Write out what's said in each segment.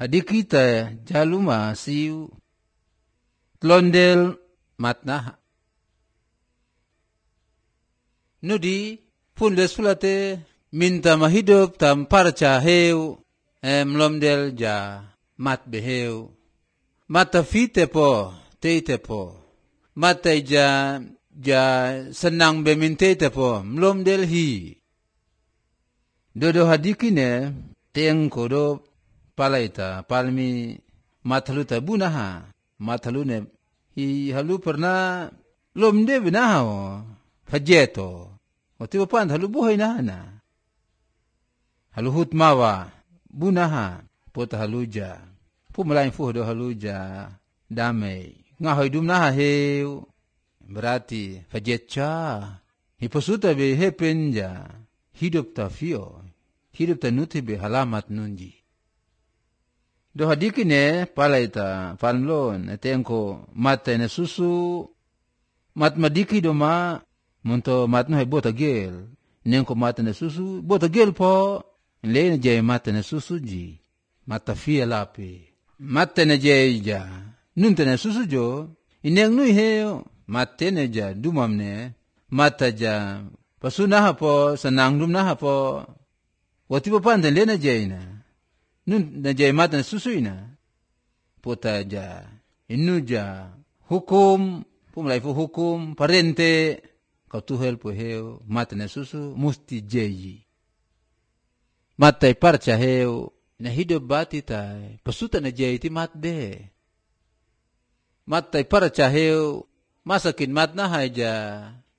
Hadi kita jaluma siu tlondel matna. Nudi pundes fulate minta mahidup tam parca heu mlomdel ja mat beheu. Mata fite po teite po. Mata ja senang beminte te po mlomdel hi. Dodo hadikine teng kodo palaita palmi mathalu ta bunaha mathalu ne hi halu pernah lomde benaha o fajeto oti pan halu buhay na halu hutmawa bunaha pota haluja pumalain fu do haluja damai ngahoy dumnaha heu berarti fajetcha hiposuta be hepenja hidup ta fio hidup ta nuti be halamat nunji. Do hadikine palaita panlon etengko mata ne susu mat madiki do ma munto matno he bota gel nenko mata ne susu bota gel po le je mata ne susu ji mata fia lapi mata ne je ja nunte ne susu jo ineng nui he mate ne ja dumam ne mata ja pasuna po senang dum na po wati po pan le na je na nun na jay mata na susuina pota ja inu ja hukum pumlai fu hukum parente kau tuhel po heu mata na susu musti jeyi mata parcha heu na hidup bati tai pasuta na jay ti mat be mata parcha heu masakin mat na haja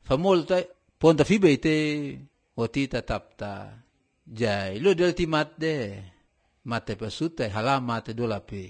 famol tai ponta fibete oti tatapta jay lo del ti mat de mate pasuta halamat dolape